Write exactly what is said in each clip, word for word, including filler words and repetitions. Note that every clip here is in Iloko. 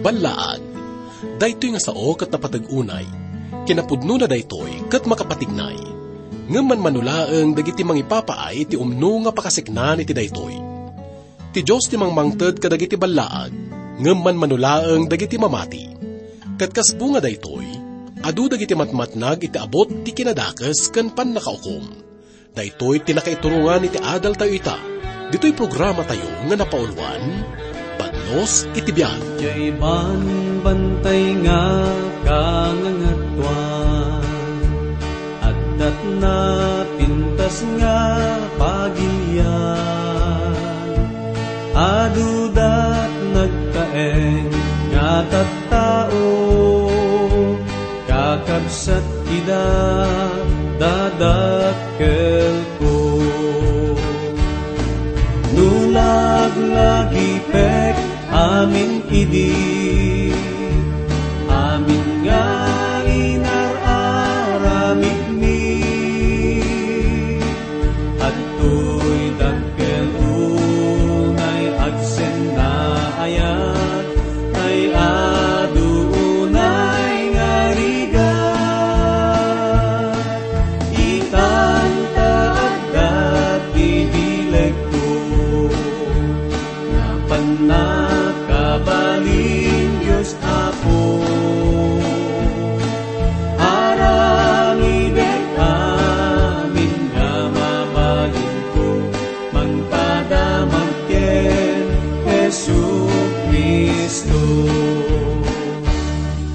Ballaag. Daytoy nga sao ket napateg unay. Kinapudnona daytoy ket makapatignay. Ngem manmano laeng dagiti mangipapaay iti umno nga pakaseknan iti daytoy. Ti Dios ti mangmangted kadagiti ballaag, ngem manmano laeng dagiti mamati. Ket kas bunga daytoy, adu dagiti matmatnag iti abut ti kinadakes ken pannakaukom. Daytoy ti nakaiturongan iti adaltayo ita, ditoy programatayo nga napauluan, Bannos iti Biag. Diay banbantay nga kangangatuan, addat napintas nga pagilian, adudat nagtaeng nga tattao, kakabsat ida dadakkelko. No laglagipek amin idi, amin nga inar-aramidmi, adtoy dakkel unay agsennaayat, tay adu unay nga rigat. Itan ta adda ti bilegko, nga pannakabalin, Dios Apo. Aramidek amin nga mabalinko, mangpadamag ken Jesu-Cristo.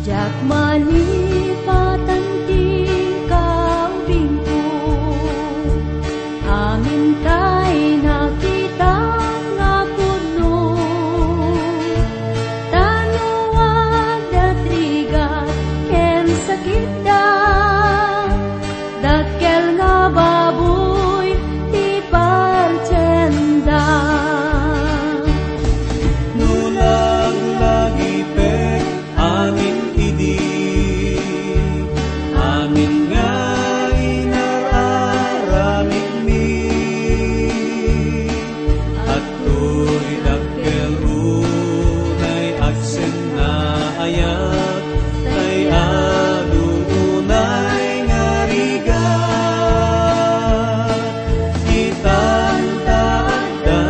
Diak malipatan ti kaubingko, amin tay nakitak nga pudno. Ta no adda rigat ken sakitda, dakkel nga baboy ti patienda. No laglagipek amin idi, amin nga inar-aramidmi, adtoy dakkel unay agsennaayat, tay adu unay nga rigat. Itan ta adda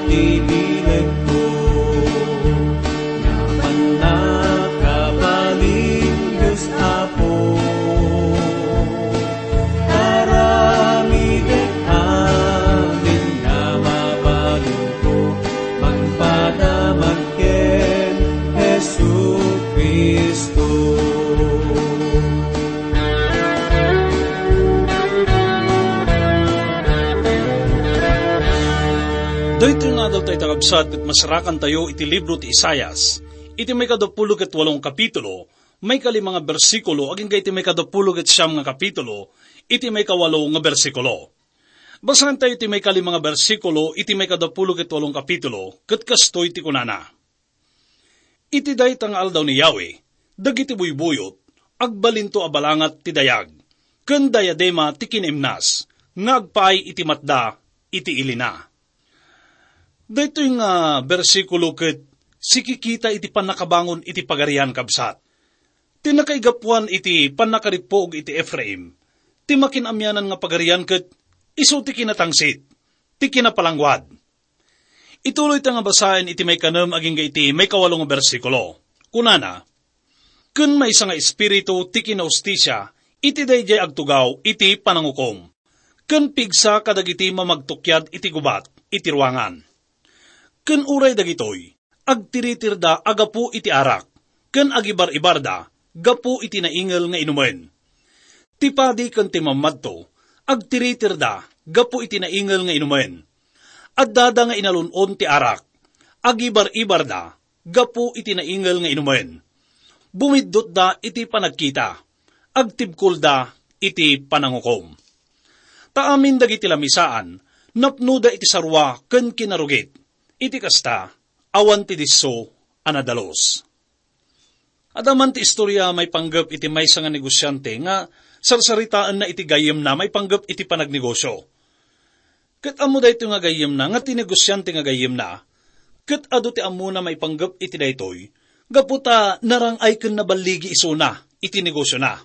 ti bilegko, nga pannakabalin, Dios Apo. Aramidek amin nga mabalinko, mangpadamag ken Jesu-Cristo. Daytoy nga adaltayo, kakabsat, ket masarakantayo iti libro ti Isaias, iti maikadapulo ket walong kapitulo, maikalima nga bersikulo, agingga iti maikadapulo ket siam nga kapitulo, iti maikawalo nga bersikulo. Basaentayo iti maikalima nga bersikulo iti maikadapulo ket walong kapitulo, ket kastoy ti kunana: Iti dayta nga aldaw ni Yahweh, dagiti buybuyot, agbalinto a balangat ti dayag, ken dayadema ti kinaimnas, nga agpaay iti matda iti ilina. Daytoy nga bersikulo ket sikikita iti pannakabangon iti Pagarian, kabsat. Ti nakaigapuan iti pannakarippuog iti Efraim, ti makin-amianan nga pagarian ket isu ti kinatangsit, ti kinapalangguad. Ituloyta nga basaen iti maikanem agingga iti maikawalo nga bersikulo. Kunana: Ken maysa nga espiritu ti kinahustisia iti daydiay agtugaw iti panangukom, ken pigsa kadagiti mamagtukyad iti gubat iti ruangan. Ken uray dagitoy, agtiritirda a gapu iti arak, ken agibar-ibarda gapu iti naingel nga inumen. Ti padi ken ti mammadto, agtiritirda gapu iti naingel nga inumen. Addada nga inalun-on ti arak, agibar-ibarda gapu iti naingel nga inumen. Bumiddutda iti panagkita, agtibkolda iti panangukom. Ta amin dagiti lamisaan, napnoda iti sarua ken kinarugit. Iti kasta, awan ti disso a nadalus. Adda man ti istorya maipanggep iti maysa nga negosiante nga sarsaritaenna iti gayyemna maipanggep iti panagnegosio. Ket ammo daytoy nga gayyemna nga ti negosiante nga gayyemna, ket adu ti ammona maipanggep iti daytoy, gapu ta narang-ay ken naballigi isuna iti negosiona.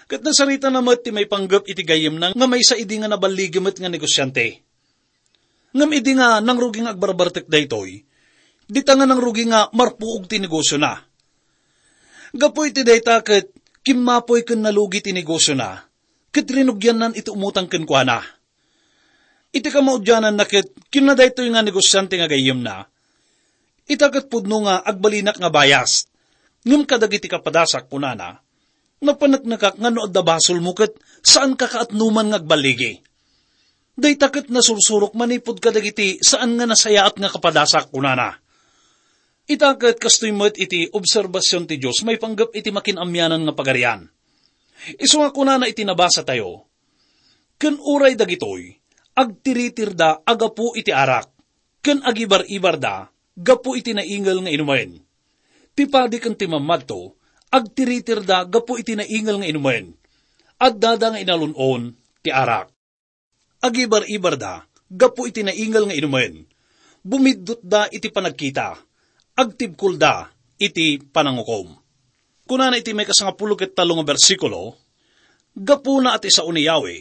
Ket nasaritana met ti maipanggep iti gayyemna nga maysa idi nga naballigi met nga negosiante. Ngem idi nga nangrugi nga agbarbartek daytoy, dita nga nangrugi nga marpuog ti negosiona. Gapu iti dayta ket kimmapoy ken nalugi ti negosiona, ket rinugiannan iti umutang kenkuana. Iti kamaudiananna ket kinuna daytoy nga negosiante nga gayyemna, "Ita ket pudno nga agbalinak nga bayas, ngem kadagiti kapadasak," kunana, "napaneknekak nga no adda basolmo ket saanka kaatnoman nga agballigi. Dayta ket nasursurok manipud kadagiti saan nga nasayaat nga kapadasak," kunana. Ita ket kastoy met iti obserbasion ti Dios maipanggep iti makin-amianan nga pagarian. Isu nga kunana iti nabasatayo, "Ken uray dagitoy, agtiritirda a gapu iti arak, ken agibar-ibarda gapu iti naingel nga inumen. Ti padi ken ti mammadto, agtiritirda gapu iti naingel nga inumen. Addada nga inalun-on ti arak. Agibar-ibarda gapu iti naingel nga inumen. Bumiddutda iti panagkita, agtibkolda iti panangukom." Kunana iti maikasangapulo ket tallo nga bersikulo, "Gapuna a ti sao ni Yahweh,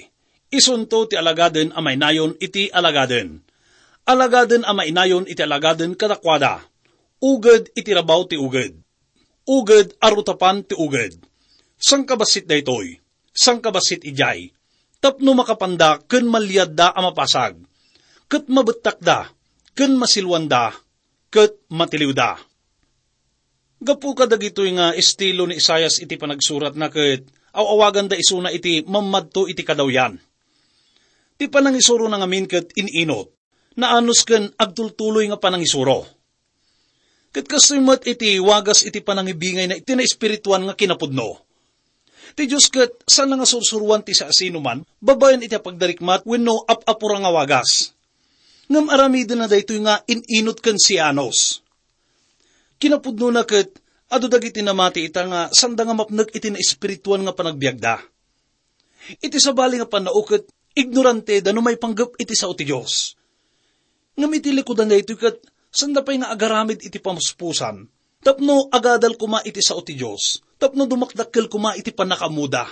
isunto ti alagaden a mainayon iti alagaden. Alagaden a mainayon iti alagaden kadakuada, uged iti rabaw ti uged, uged a rutapan ti uged. Sangkabassit daytoy, sangkabassit idiay, tapno makapanda ken maliadda a mapasag, ket mabettakda, ken masiluanda, ket matiliwda." Gapu kadagitoy nga estilo ni Isaias iti panagsuratna ket aw-awaganda isuna iti mammadto iti kadawyan. Ti panangisurona ngamin ket in-inot, naanus ken agtultuloy nga panangisuro. Ket kastoy met iti wagas iti panangibingayna iti naespirituan nga kinapudno. Ti Dios ket saan nga sursuroan ti siasinoman babaen iti apagdarikmat wenno ap-apura nga wagas. Ngem aramidenna daytoy nga in-inot ken sianos. Kinapudnona ket adu dagiti namati ita nga sanda nga mapnek iti naespirituan nga panagbiagda. Iti sabali nga pannao ket ignoranteda no maipanggep iti sao ti Dios. Ngem iti likudan daytoy ket sanda pay nga agaramid iti pamuspusan tapno agadal koma iti sao ti Dios, tapno dumakdakkel koma iti pannakaammoda.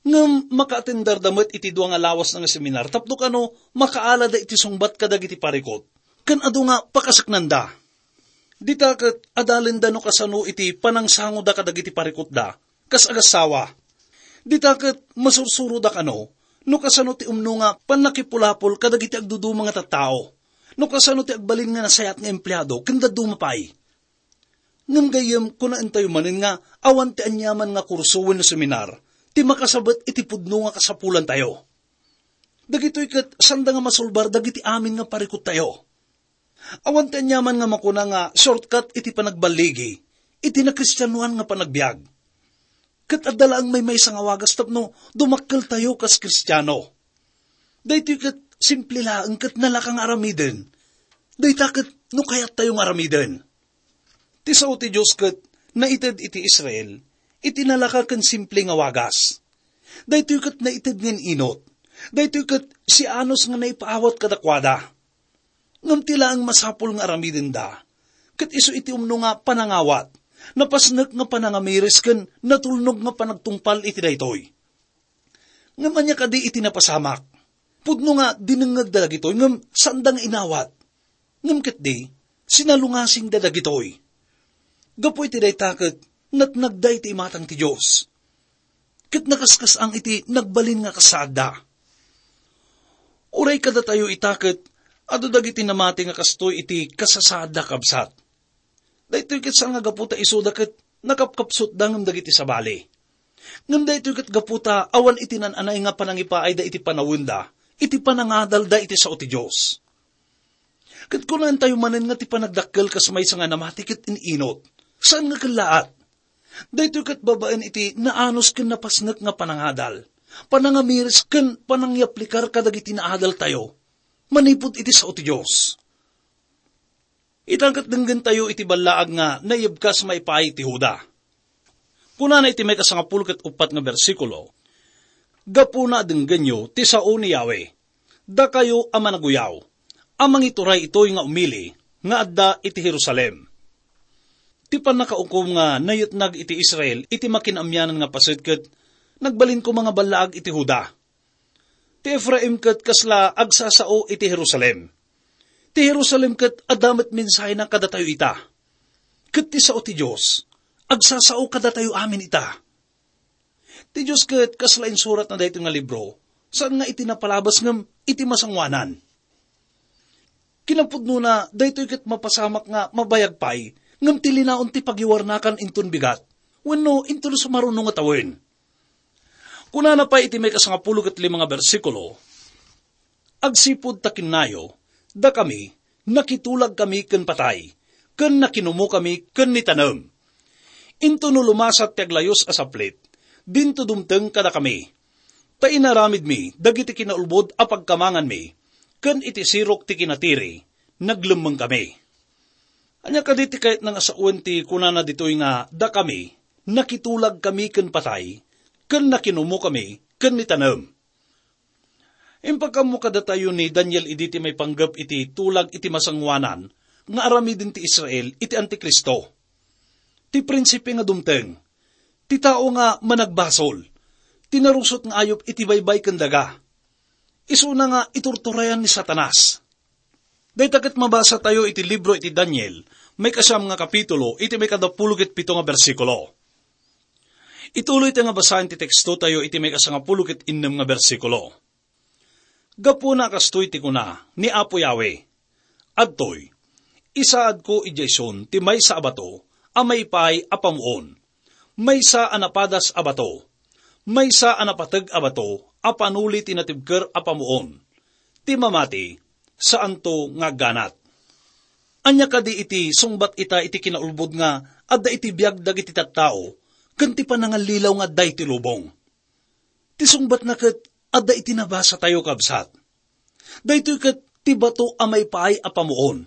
Ngem makaatendarda met iti dua nga lawas nga seminar tapno kano makaalada iti sungbat kadagiti parikut, ken adu nga pakaseknanda. Dita ket adalenda no kasano iti panangsangoda kadagiti parikutda, kas agassawa. Dita ket masursuroda kano no kasano ti umno nga pannakipulapol kadagiti agduduma nga tattao, no kasano ti agbalin nga nasayaat nga empleado ken dadduma pay. Ngem gayyem, kunaentayo manen nga awan ti aniaman nga kurso wenno seminar ti makasabet iti pudno nga kasapulantayo. Dagitoy ket sanda nga masulbar dagiti amin nga parikuttayo. Awan ti aniaman nga makuna nga shortcut iti panagballigi iti nakristianoan nga panagbiag. Ket adda laeng maymaysa nga wagas tapno dumakkeltayo kas Kristiano. Daytoy ket simple laeng ket nalaka nga aramiden. Dayta ket no kayattayo nga aramiden. Ti sao ti Dios ket naited iti Israel iti nalaka ken simple nga wagas. Daytoy ket naited nga in-inot. Daytoy ket sianos nga naipaawat kadakuada. Ngem ti laeng masapul nga aramidenda, ket isu iti umno nga panangawat, napasnek nga panangamiris ken natulnog nga panagtungpal iti daytoy. Ngem ania kadi iti napasamak? Pudno nga dinengngegda dagitoy ngem saanda nga inawat. Ngem ketdi, sinalungasingda dagitoy. Gapu iti dayta ket natnagda iti imatang ti Dios. Ket nakaskas-ang iti nagbalin nga kasaadda. Uray kadatayo ita ket adu dagiti namati nga kastoy iti kasasaadda, kabsat. Daytoy ket saan nga gapu ta isuda ket nakapkapsutda ngem dagiti sabali. Ngem daytoy ket gapu ta awan iti nan-anay nga panangipaayda iti panawenda, iti panangadalda iti sao ti Dios. Ket kunaentayo manen nga ti panagdakkel kas maysa nga namati ket in-inot. Saan nga kellaat? Daytoy ket babaen iti naanus ken napasnek nga panangadal, panangamiris ken panangyaplikar kadagiti naadaltayo manipud iti sao ti Dios. Ita ket denggentayo iti ballaag nga naibkas maipaay ti Juda. Kunana iti maikasangapulo ket uppat nga bersikulo, "Gapuna a denggenyo ti sao ni Yahweh, dakayo a managuyaw, a mangituray itoy nga umili nga adda iti Jerusalem." Ti pannakaukom nga nayetnag iti Israel iti makin-amianan nga paset ket nagbalin koma nga ballaag iti Juda. Ti Efraim ket kasla agsasao iti Jerusalem. Ti Jerusalem ket adda met mensahena kadatayo ita. Ket ti sao ti Dios agsasao kadatayo amin ita. Ti Dios ket kasla insuratna daytoy nga libro, saan nga iti napalabas ngem iti masangoanan. Kinapudnona, daytoy ket mapasamak nga mabayag pay, ngem ti linaon ti pagiwarnakan inton bigat, wenno inton sumaruno nga tawen. Kunana pay iti maikasangapulo ket lima nga bersikulo, "Agsipud ta kinnayo, dakami, nakitulagkami ken patay, ken nakinumokami ken nitanem. Intono lumasat ti aglayus a saplit, dinto dumteng kadakami. Ta inaramidmi dagiti kinaulbod a pagkamanganmi, ken iti sirok ti kinatiri, naglemmengkami." Ania kadi ti kayatna nga sawen ti kunana ditoy nga, "Dakami, nakitulagkami ken patay, ken nakinumokami ken nitanem"? Impakaammo kadatayo ni Daniel idi ti maipanggep iti tulag iti masangoanan nga aramiden ti Israel iti Antikristo. Ti prinsipe nga dumteng, ti tao nga managbasol, ti narusot nga ayup iti baybay ken daga. Isuna nga iturturayan ni Satanas. Dayta ket mabasa tayo iti libro iti Daniel, maikasiam nga kapitulo, iti maikadapulo ket pito nga bersikulo. Ituloy tayo nga basaen ti teksto tayo iti maikasangapulo ket innem nga bersikulo. Gapuna kastoy ti kuna ni Apo Yahweh, "Adtoy, isaadko idiay Sion ti maysa a bato a maipaay a pamuon, maysa a napadas a bato, maysa a napateg a bato a panuli ti natibker a pamuon. Ti mamati, saanto nga agganat." Ania kadi iti sungbat ita iti kinaulbod nga adda iti biag dagiti tattao ken ti panangallilaw nga adda iti lubong? Ti sungbatna ket adda iti nabasa tayo, kabsat. Daytoy ket ti bato a maipaay a pamuon.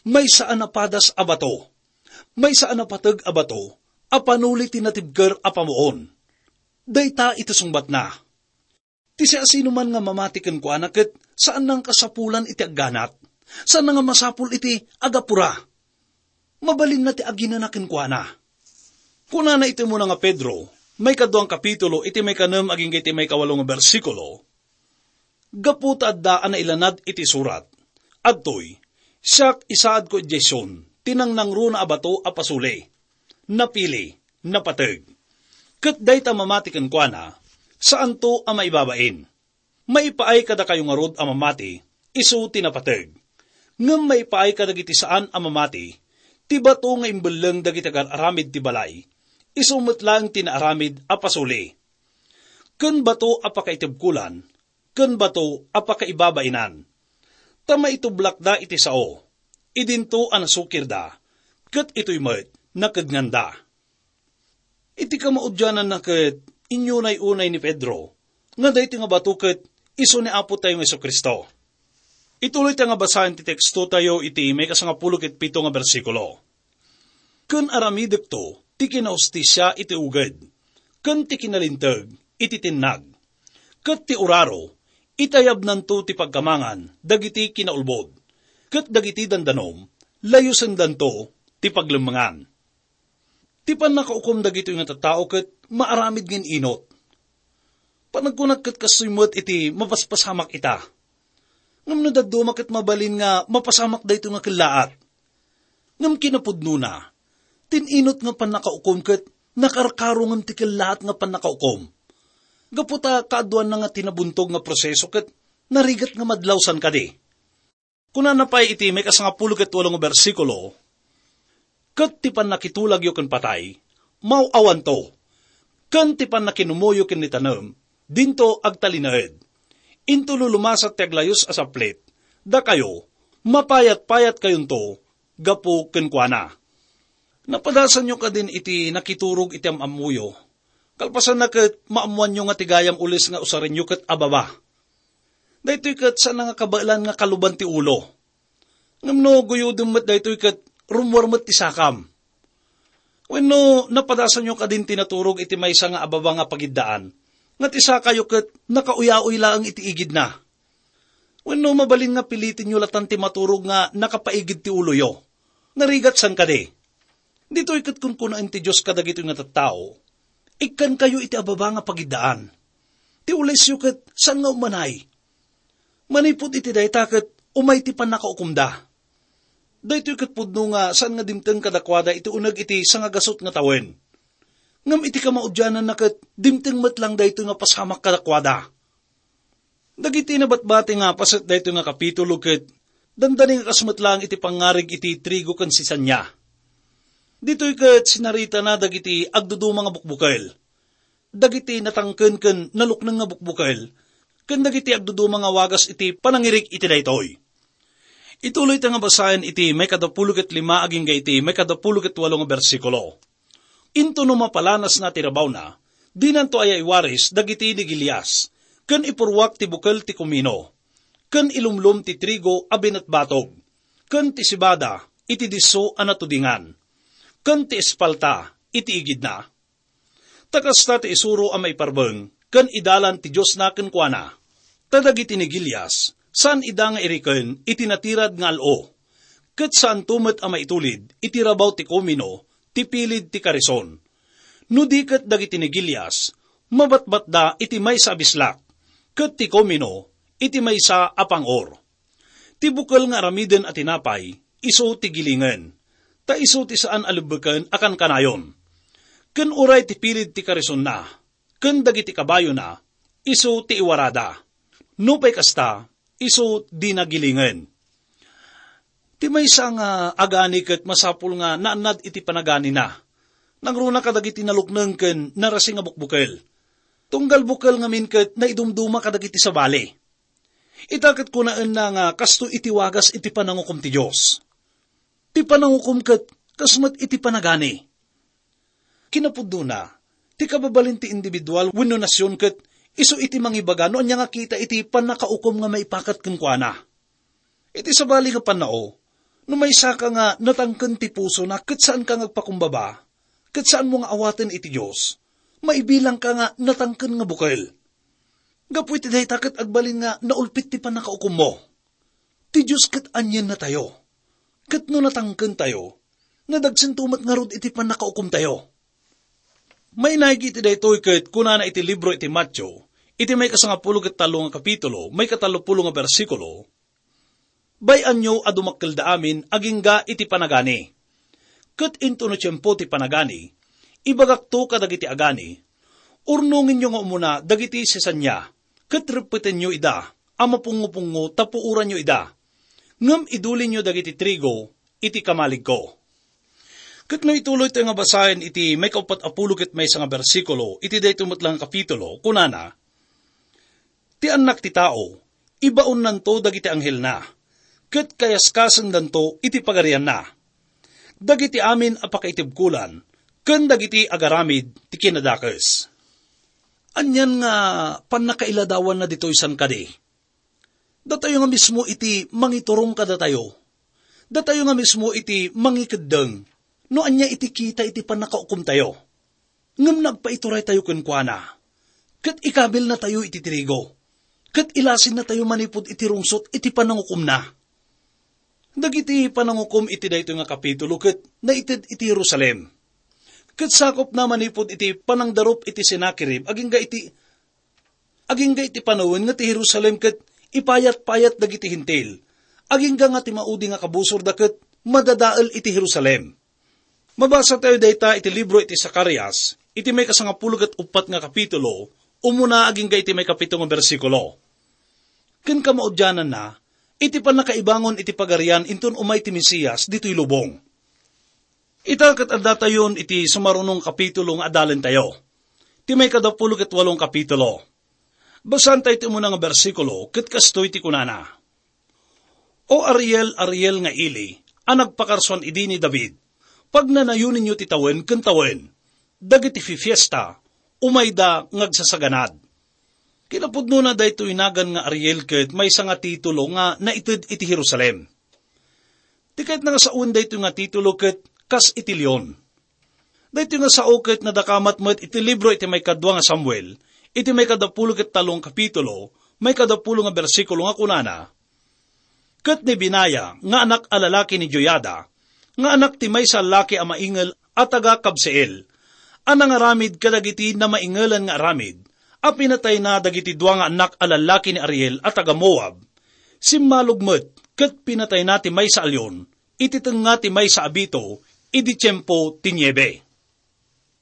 Maysa a napadas a bato. Maysa a napateg a bato a panuli ti natibker a pamuon. Dayta iti sungbatna. Ti siasinoman nga mamati kenkuana ket saan nga kasapulan iti agganat. Saan nga masapul iti agapura. Mabalinna ti aginana kenkuana. Kunana iti umuna nga Pedro, maikaduang kapitulo, iti maikanem agingga iti maikawalo nga bersikulo, "Gapu ta adda a nailanad iti surat, adtoy, 'Siak isaadko idiay Sion ti nangnangruna a bato a pasuli, napili, napateg.' Ket dayta mamati kenkuana, saanto a maibabain." Maipaay kadakayo ngarud a mamati, isu ti napateg. Ngem maipaay kadagiti saan a mamati, ti bato nga imbelleng dagiti agar-aramid ti balay, isu met laeng ti naaramid a pasuli. Ken bato a pakaitebkolan, ken bato a pakaibabainan. Ta maitublakda iti sao, idinto a nasukirda, ket itoy met nakednganda. Iti kamaudiananna ket inyunay-unay ni Pedro nga daytoy nga bato ket isu ni Apo tayo nga Jesu-Cristo. Ituloy tayo nga basaen ti teksto tayo iti maikasangapulo ket pito nga bersikulo. "Ken aramidekto ti kinahustisia iti uged, ken ti kinalinteg iti tinnag, ket ti uraro itayabnanto ti pagkamangan dagiti kinaulbod, ket dagiti dandanom layosendanto ti paglemmengan." Ti pannakaukom dagitoy nga tattao ket maaramid nga in-inot. Panagkunak ket kastoy met iti mapaspasamak ita. Ngem no dadduma ket mabalin nga mapasamak daytoy nga kellaat. Ngem kinapudnona, ti in-inot nga pannakaukom ket nakarkaro ngem ti kellaat nga pannakaukom. Gapu ta kaaduanna nga tinabuntog nga proseso ket narigat nga madlawsan kadi. Kunana pay iti maikasangapulo ket walo nga bersikulo, "Ket ti pannakitulagyo ken patay, maw-awanto, ken ti pannakinumoyo ken ni tanem, dinto agtalinaed. Intono lumasat ti aglayus a saplit, dakayo, mapayat-payatkayonto gapu kenkuana." Napadasanyo kadin iti nakiturog iti am-ammoyo. Kalpasanna ket maammoanyo nga ti gayam ules nga usarenyo ket ababa. Daytoy ket saan nga kabaelan nga kaluban ti ulo. Ngem no guyodem met daytoy ket rummuar met ti sakam. Wenno napadasanyo kadin ti naturog iti maysa nga ababa nga pagiddaan, nga ti sakayo ket nakauyaoy laeng iti igidna. Wenno mabalin nga pilitenyo latan ti maturog nga nakapaigid ti uloyo. Narigat san kadi? Ditoy ket kunkunaen ti Dios kadagitoy nga tattao, "Ikkankayo iti ababa nga pagiddaan. Ti ulesyo ket saan nga ummanay. Manipud iti dayta ket umay ti pannakaukomda." Daytoy ket pudno nga saan nga dimteng kadakuada iti uneg iti sangagasut nga tawen. Ngem iti kamaudiananna ket dimteng met lang daytoy nga pasamak kadakuada. Dagiti nabatbati nga paset daytoy nga kapitulo ket dandani nga kas met laeng iti pangngarig iti trigo ken sisania. Ditoy ket sinaritana dagiti agduduma nga bukbukel, dagiti natangken ken nalukneng nga bukbukel, ken dagiti agduduma nga wagas iti panangirig iti daytoy. Ituloy ta nga basaen iti maikadapulo ket lima agingga iti maikadapulo ket walo nga bersikulo. Intono mapalanasna ti rabawna, dinanto aya iwaris dagiti ni Gilias, ken ipurruak ti bukel ti kumino, ken ilumlom ti trigo a binatbatog, ken ti sibada iti disso a natudingan, ken ti espalta iti igidna. Ta kasta ti isuro a maiparbeng ken idalan ti Diosna kenkuana. Ta dagiti ni Gilias, saan ida nga iriken iti natirad nga al-o, ket saanto met a maitulid iti rabaw ti kumino ti pilid ti karison. No di ket dagiti ni Gilias, mabatbatda iti maysa a bislak, ket ti kumino iti maysa a pang-or. Ti bukel nga aramiden a tinapay, isu ti gilingen, ta isu ti saan a lebbeken a kankanayon. Ken uray ti pilid ti karisonna, ken dagiti kabayona, isu ti iwarada. Nupay kasta, isu dina gilingen. Ti maysa nga agani ket masapul nga naannad iti panaganina. Nangruna kadagiti nalukneng ken narasing a bukbukel. Tunggal bukel ngamin ket naidumduma kadagiti sabali. Ita ket kunaenna nga kastoy iti wagas iti panangukom ti Dios. Ti panangukom ket kas met iti panagani. Kinapudnona, ti kababalin ti individual wenno nasion ket isu iti mangibaga no ania nga kita iti pannakaukom nga maipakat kenkuana. Iti sabali nga pannao, no maysaka nga natangken ti pusona ket saanka nga agpakumbaba, ket saanmo nga awaten iti Dios, maibilangka nga natangken nga bukel. Gapu iti dayta ket agbalin nga naulpit ti pannakaukommo. Ti Dios ket aniennatayo. Ket no natangkentayo, nadagsento met ngarud iti pannakaukomtayo. Mainaig iti daytoy ket kunana iti libro iti Mateo, iti maikasangapulo ket tallo nga kapitulo, maikatallopulo nga bersikulo, "Bay-anyo a dumakkelda amin agingga iti panagani. Ket intono tiempo ti panagani, ibagakto kadagiti agani, urnongenyo nga umuna dagiti sisania, ket reppetenyo ida a mapungopungo ta puoranyo ida. Ngem idulinyo dagiti trigo iti kamaligko." Ket no ituloytayo nga basaen iti maikauppat a pulo ket maysa nga bersikulo iti daytoy met la nga kapitulo, kunana, "Ti Annak ti Tao, ibaonnanto dagiti anghelna, ket kayaskasendanto iti pagarianna, dagiti amin a pakaitibkolan, ken dagiti agaramid ti kinadakes." Anian nga pannakailadawanna ditoy san kadi? Datayo nga mismo iti mangiturong kadatayo. Datayo nga mismo iti mangikeddeng no ania iti kita iti pannakaukomtayo. Ngem nagpaituraytayo kenkuana, ket ikabilnatayo iti trigo, ket ilasinnatayo manipud iti rungsot iti panangukomna. Dagiti panangukom iti daytoy nga kapitulo ket naited iti Jerusalem. Ket sakopna manipud iti panangdarup iti Sennacherib agingga iti, agingga iti panawen nga ti Jerusalem ket ipayat-payat dagiti Hentil, agingga nga ti maudi nga kabusorda ket madadael iti Jerusalem. Mabasatayo dayta iti libro iti Zacarias, iti maikasangapulo ket uppat nga kapitulo, umuna agingga iti maikapito nga bersikulo. Ken kamaudiananna, iti pannakaibangon iti Pagarian inton umay ti Mesias ditoy lubong. Ita ket addatayon iti sumaruno nga kapitulo nga adalentayo. Ti maikadapulo ket walo nga kapitulo. Basaentayo ti umuna nga bersikulo, ket kastoy ti kunana, "O Ariel, Ariel nga ili, a nagpakarsuan idi ni David, pagnanayoninyo ti tawen ken tawen, dagiti fifiesta, umayda nga agsasaganad." Kinapudnona, daytoy nagan nga Ariel ket maysa nga titulo nga naited iti Jerusalem. Ti kayatna nga sawen daytoy nga titulo ket kas iti leon. Daytoy nga sao ket nadakamat met iti libro iti maikadua nga Samuel, iti maikadapulo ket tallo nga kapitulo, maikadapulo nga bersikulo nga kunana, "Ket ni Benaiah nga anak a lalaki ni Joiada, nga anak ti maysa a laki a maingel a taga Kabseel, a nangaramid kadagiti namaingelan nga aramid, a pinatayna dagiti dua nga annak a lallaki ni Ariel a taga Moab. Simmalog met ket pinatayna ti maysa a leon iti tengnga ti maysa a bito idi tiempo ti niebe.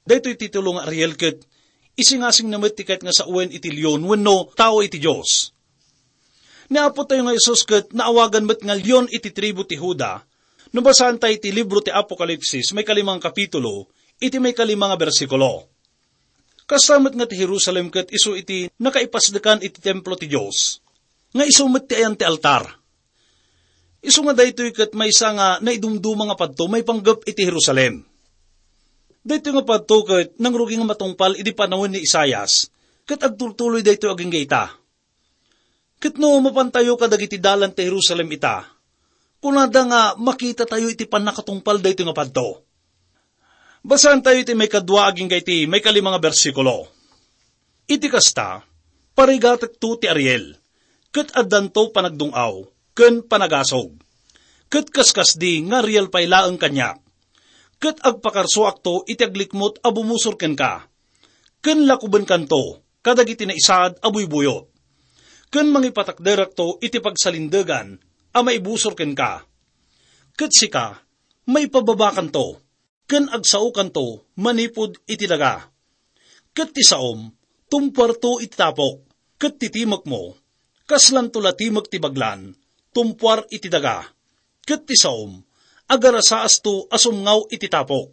Daytoy ti tulo nga Ariel ket isingasingna met ti kayat nga sawen iti leon wenno tao iti Dios. Ni Apo tayo nga Jesus ket naawagan met nga leon iti tribu ti Juda. No basaen tayo iti libro ti Apokalipsis, may kalima nga kapitulo, iti may kalima nga bersikulo. Kasta met nga ti Jerusalem ket isu iti nakaipasdekan iti templo ti Dios, nga isu met ti ayan ti altar. Isu nga daytoy ket maysa nga naidumduma nga padto maipanggep iti Jerusalem. Daytoy nga padto ket nangrugi nga matungpal idi panawen ni Isaias, ket agtultuloy daytoy agingga ita. Ket no mapantayo kadagiti dalan ti Jerusalem ita, kunada nga makitatayo iti pannakatungpal daytoy nga padto. Basaen tayo iti maikadua agingga iti maikalima nga bersikulo. Iti kasta, parigatekto ti Ariel, ket addanto panagdung-aw ken panagasog. Ket kaskasdi nga Ariel pay laeng kaniak. Ket agpakarsuakto iti aglikmut a bumusor kenka, ken lakubenkanto kadagiti naisaad a buybuyot, ken mangipatakderakto iti pagsalindegan a maibusor kenka. Ket sika, maipababakanto, ken agsaokanto manipud iti daga. Ket ti saom, tumpuarto iti tapok, ket ti timekmo, kaslanto la timek ti baglan, tumpuar iti daga. Ket ti saom, agarasaasto a sumngaw iti tapok.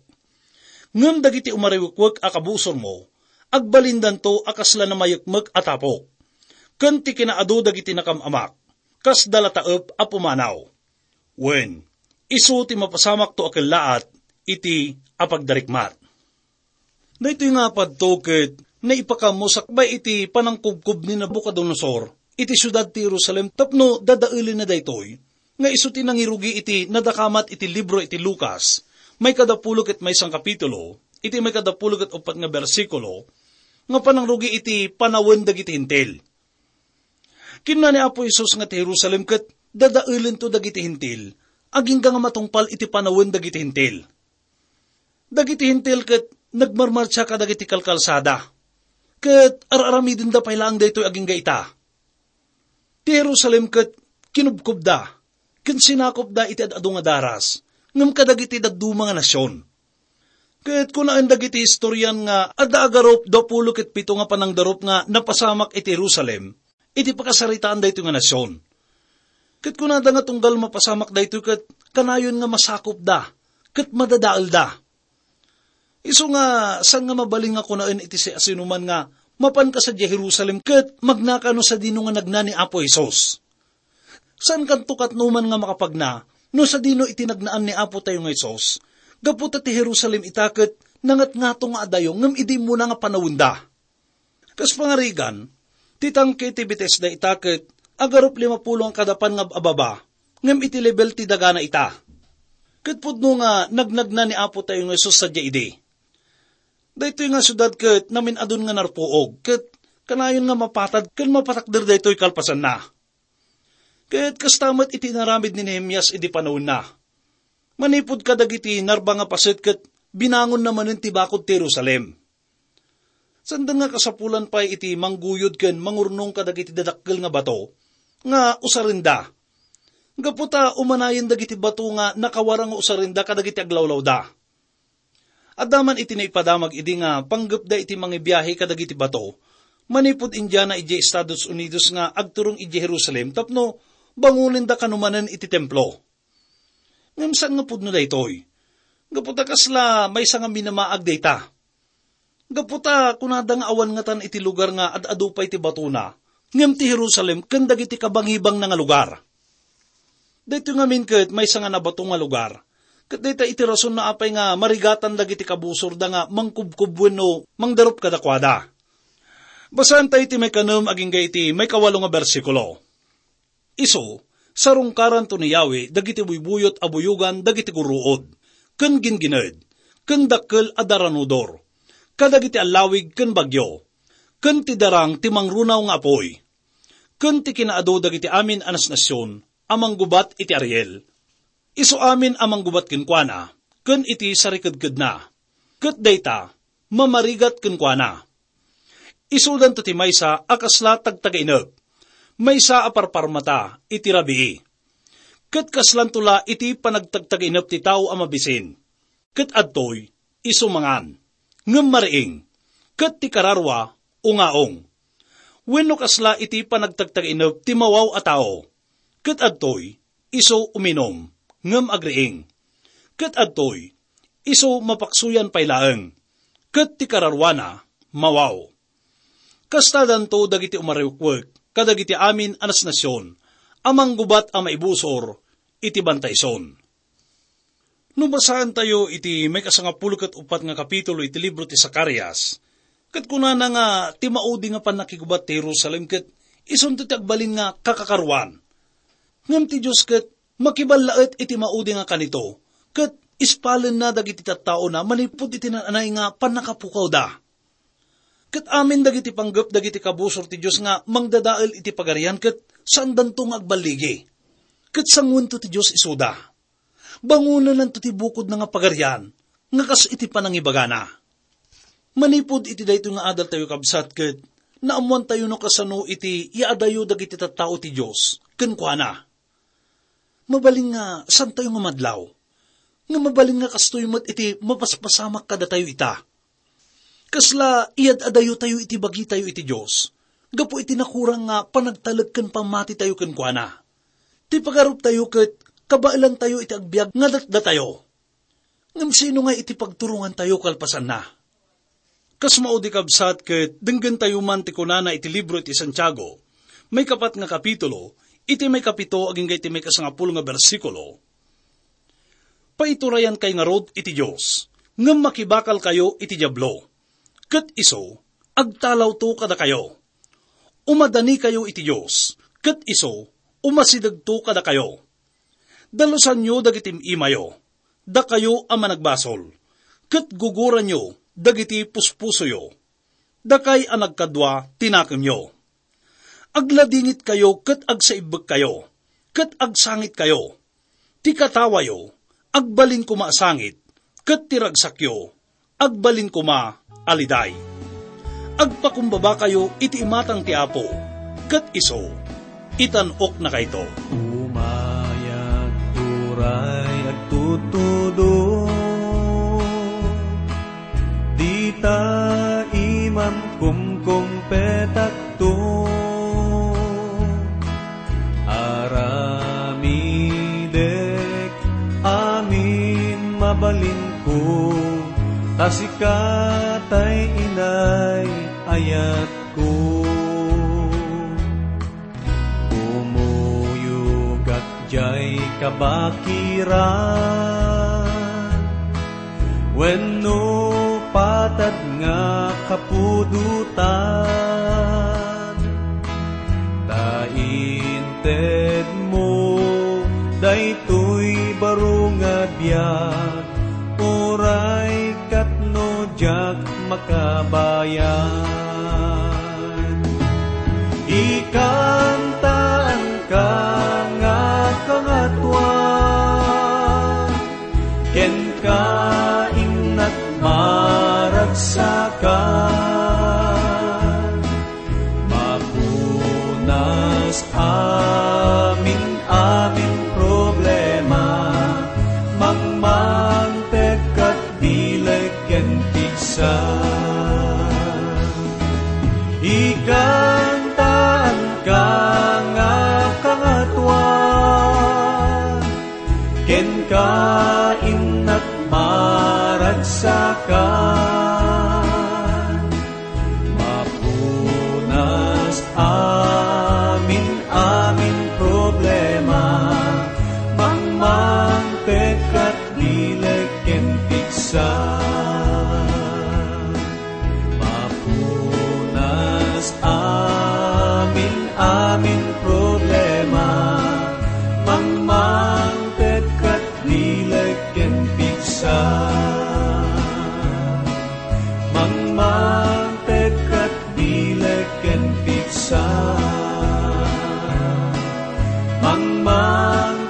Ngem dagiti umariwekwek a kabusormo, agbalindanto a kasla namayekmek a tapok. Ken ti kinaadu dagiti nakam-amak, kasda la taep a pumanaw. Wen, isu ti mapasamakto a kellaat iti apagdarikmat. Daytoy nga padto ket naipakammo sakbay iti panangkubkob ni Nabucodonosor iti siudad ti Jerusalem tapno dadaelenna daytoy, nga isu ti nangirugi iti nadakamat iti libro iti Lucas, maikadapulo ket maysa nga kapitulo, iti maikadapulo ket uppat nga bersikulo, nga panangrugi iti panawen dagiti Hentil. Kinuna ni Apo Jesus nga ti Jerusalem ket dadaelento dagiti Hentil, agingga nga matungpal iti panawen dagiti Hentil. Dagiti Hentil ket nagmarmartsa kadagiti kalkalsada, ket ar-aramidenda pay laeng daytoy agingga ita. Ti Jerusalem ket kinubkobda, ken sinakopda iti ad-adu nga daras, ngem kadagiti dadduma nga nasion. Ket kunaen dagiti historian nga adda agarup dua pulo ket pito nga panangdarup nga napasamak iti Jerusalem, iti pakasaritaan daytoy nga nasion. Ket kunada nga tunggal mapasamak daytoy ket kanayon nga masakopda, ket madadaelda. Isu nga saan nga mabalin nga kunaen iti siasinoman nga mapanka sadiay Jerusalem ket magnaka no sadino nga nagna ni Apo Jesus. Saan kanto katnoman nga makapagna no sadino iti nagnaan ni Apo tayo nga Jesus. Gapu ta ti Jerusalem ita ket nangatngato nga adayo ngem idi immuna nga panawenda. Kas pangarigan, ti tangke ti Betesda ita ket agarup lima pulo nga kadapan nga ababa, ngem iti lebel ti dagana ita. Ket pudno nga nagnagna ni Apo tayo nga Jesus sadiay idi. Daytoy nga siudad ket namin-adun nga narpuog, ket kanayon nga mapatad ken mapatakder daytoy kalpasanna. Ket kasta met iti inaramid ni Nehemias idi panawenna. Manipud kadagiti narba nga paset ket binangonna manen ti bakod ti Jerusalem. Sanda nga kasapulan pay iti mangguyod ken mangurnong kadagiti dadakkel nga bato nga usarenda. Gapu ta umanayen dagiti bato nga nakawarang nga usarenda kadagiti aglawlawda. Adda man iti naipadamag idi nga panggepda iti mangibiahe kadagiti bato manipud Indiana idiay Estados Unidos nga agturong idiay Jerusalem tapno bangonenda kano manen iti templo. Ngem saan nga pudno daytoy. Gapu ta kasla maysa nga minamaag dayta. Gapu ta kunada nga awan ngatan iti lugar nga ad-adu pay ti batona, ngem ti Jerusalem ken dagiti kabangibangna nga lugar. Daytoy ngamin ket maysa nga nabato nga lugar. Ket dayta iti rason no apay nga marigatan dagiti kabusorda nga mangkubkob wenno mangdarup kadakuada. Basaen tayo iti maikanem agingga iti maikawalo nga bersikulo. Isu, sarungkaranto ni Yahweh dagiti buybuyot a buyogan dagiti gurruod, ken gingined, ken dakkel a daranudor, kadagiti allawig ken bagyo, ken ti darang ti mangrunaw nga apuy, ken ti kinaadu dagiti amin a nasnasion a manggubat iti Ariel. Isu amin a manggubat kenkuana ken iti sarikedkedna, ket dayta mamarigat kenkuana. Isudanto ti maysa a kasla tagtagainep, maysa a parparmata iti rabii. Ket kaslanto la iti panagtagtagainep ti tao a mabisin. Ket adtoy isu mangan, ngem mariing, ket ti kararua, ungaong. Wenno kasla iti panagtagtagainep ti mawaw a tao, ket adtoy isu uminum, ngem agriing. Ket adtoy isu mapaksuyan pay laeng, ket ti kararuana, mawaw. Kastadanto dagiti umarukwek kadagiti amin a nasnasion a manggubat a maibusor iti bantayson. No basaentayo iti maikasangapulo ket uppat nga kapitulo iti libro ti Zacarias, ket kunana nga ti maudi nga pannakigubat ti Jerusalem ket isunto ti agbalin nga kakakaruan. Ngem ti Dios ket makiballaet iti maudi nga kanito, ket ispalenna dagiti tattaona manipud iti naan-anay nga pannakapukawda. Ket amin dagiti panggep dagiti kabusor ti Dios nga mangdadael iti Pagarian ket saandanto nga agballigi. Ket sanguento ti Dios isuda. Bangonennanto ti bukodna nga Pagarian nga kas iti panangibagana. Manipud iti daytoy nga adaltayo, kabsat, ket naammoantayo no kasano iti yaadayo dagiti tattao ti Dios kenkuana. Mabalin nga saantayo nga madlaw, nga mabalin nga kastoy met iti mapaspasamak kadatayo ita. Kasla iyad-adayotayo iti bagitayo iti Dios, gapu iti nakurang nga panagtalek ken pammatitayo kenkuana. Ti pagaruptayo ket kabaelantayo iti agbiag nga datdatayo. Ngem sino nga iti pagturongantayo kalpasanna? Kas maudi, kabsat, ket denggentayo man ti kunana iti libro iti Santiago, maikapat nga kapitulo, iti maikapito agingga iti maikasangapulo nga bersikulo. Paiturayankay ngarud iti Dios, ngem makibakalkayo iti Diablo, ket isu agtalawto kadakayo. Umadanikayo iti Dios, ket isu umasidegto kadakayo. Dalusanyo dagiti im-imayo, dakayo a managbasol, ket guguranyo dagiti puspusoyo, dakay a nagkadua ti nakemyo. Agladingitkayo ket agsaibbekkayo, ket agsangitkayo. Ti katawayo, agbalin koma a sangit, ket ti ragsakyo, agbalin koma a liday. Agpakumbabakayo iti imatang ti Apo, ket isu, itan-oknakayto. Umayag uray agtutudong, dita imam kumkumpetakto. Aramidek amin mabalinko, ta sika tay inay ayatko. Kumuyogak jay kabakiran wenno patad nga kapudotan. Ta intedmo daytoy baro nga biag, uray ket no diak makabayan. Ikantaanka nga Kangatoan, kenka innak maragsakan. Mapunas amin-amin problema, mangmangpet ket bileg ken pigsa. Ikantaanka nga Kangatoan, kenka innak maragsakan. Mapunas amin-amin problema, mangmangpet ket bileg ken pigsa. Mapunas amin-amin problema, mangmangpet ket bileg ken pigsa. Mangmangpet ket bileg ken pigsa. Mangmang